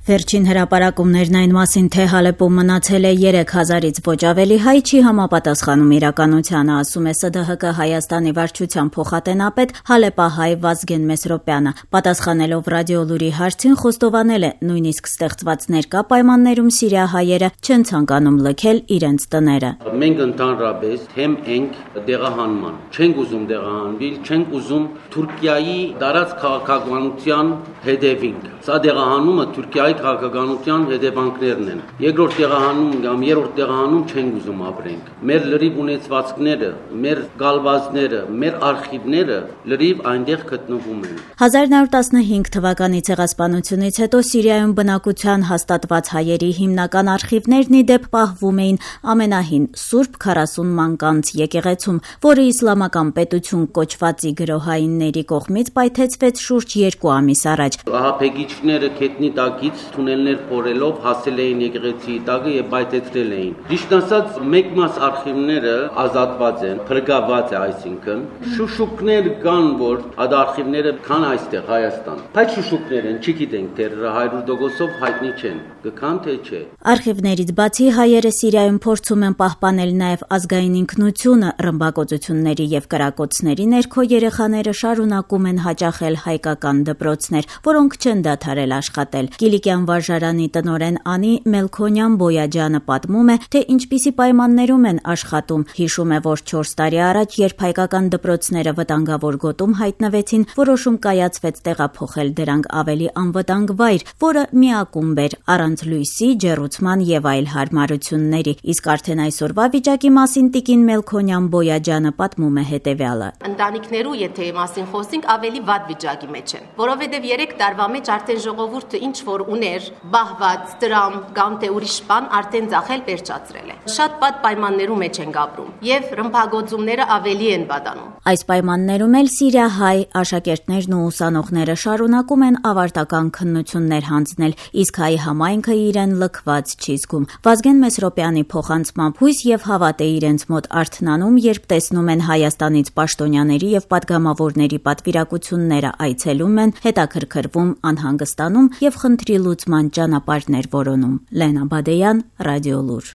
Վերջին հրապարակումներն այն մասին, թե Հալեպում մնացել է 3000-ից ոչ ավելի հայ, չի համապատասխանում իրականությանը, ասում է ՍԴՀԿ Հայաստանի վարչության փոխատենապետ հալեպահայ Վազգեն Մեսրոպյանը։ Պատասխանելով Ռադիոլուրի հարցին, խոստովանել է, նույնիսկ ստեղծված ներկա պայմաններում սիրիահայերը չեն ցանկանում լքել իրենց տները։ Մենք ընդհանրապես թեմ ենք դեղահանման, չենք ուզում դեղահանվել, չենք ուզում Թուրքիայի դարած քաղաքականության հետևինք։ Սա դեղահանումը Թուրքիայի քաղաքականության հետևանքներն են։ Երկրորդ տեղահանում կամ երրորդ տեղահանում չենք ուզում ապրենք։ Մեր լրիվ ունեցվածքները, մեր գալվածները, մեր արխիվները լրիվ այնտեղ գտնվում են։ 1915 թվականի ցեղասպանությունից հետո Սիրիայում բնակության հաստատված հայերի հիմնական արխիվներն ի դեպ պահվում էին ամենահին Սուրբ 40 մանկանց եկեղեցում, որը իսլամական պետություն կոչվածի գրոհայինների կողմից պայթեցվեց շուրջ 2 ամիս առաջ։ Ահաբեկիչները քետնի տակից թունելներ փորելով հասել էին եկեղեցի տակը եւ պայթեցրել էին։ Ճիշտ ասած, մեկ մաս արխիվները ազատված են, փրկված է, այսինքն շուշուկներ կան, որ այդ արխիվները կան այստեղ Հայաստան։ Բայց շուշուկներ են, չգիտենք թե 100%-ով հայտնի չեն, կքան թե չէ։ Արխիվներից բացի հայերը Սիրիայում փորձում են պահպանել նաեւ ազգային ինքնությունը, ռմբակոծությունների եւ կրակոցների ներքո երեխաները շարունակում են հաճախել հայկական դպրոցներ, որոնք չեն դադարել աշխատել։ Կիլիկյան վարժարանի տնօրեն Անի Մելքոնյան Բոյաջյանը պատմում է, թե ինչպիսի պայմաններում են աշխատում։ Հիշում է, որ 4 տարի առաջ, երբ հայկական դպրոցները վտանգավոր գոտում հայտնվեցին, որոշում կայացվեց տեղափոխել դրանք ավելի անվտանգ վայր, որը միակումբ էր, առանց լույսի, ջեռուցման եւ այլ հարմարությունների։ Իսկ արդեն այսօրվա վիճակի մասին տիկին Մելքոնյան Բոյաջյանը պատմում է հետեւյալը. Ընտանիքներու, եթե մասին խոսենք, ավելի վատ վիճակի մեջ են, որովհետեւ 3 տարվա մեջ արդեն ժողովուրդը ինչ որ ուներ, բահված, դրամ կամ թե ուրիշ բան արդեն ձախել վերջացրել է։ Շատ վատ պայմաններում մեջ են ապրում եւ ռմբակոծումները ավելի են բադանում։ Այս պայմաններում էլ սիրիահայ աշակերտներն ու ուսանողները շարունակում են ավարտական քննություններ հանձնել, իսկ հայ համայնքը իրեն լքված չի զգում։ Վազգեն Մեսրոպյանի փոխանցմամբ հույս եւ հավատ է իրենց մոտ արթնանում, երբ տեսնում են Հայաստանից պաշտոնյաների եւ պատգամավորների պատվիրակությունները այցելում են, հետաքրքրվում, անհանգստանում եւ խնդրի լուծման ճանապարհներ որոնում։ Լենա Բադեյան, Ռադիոլուր։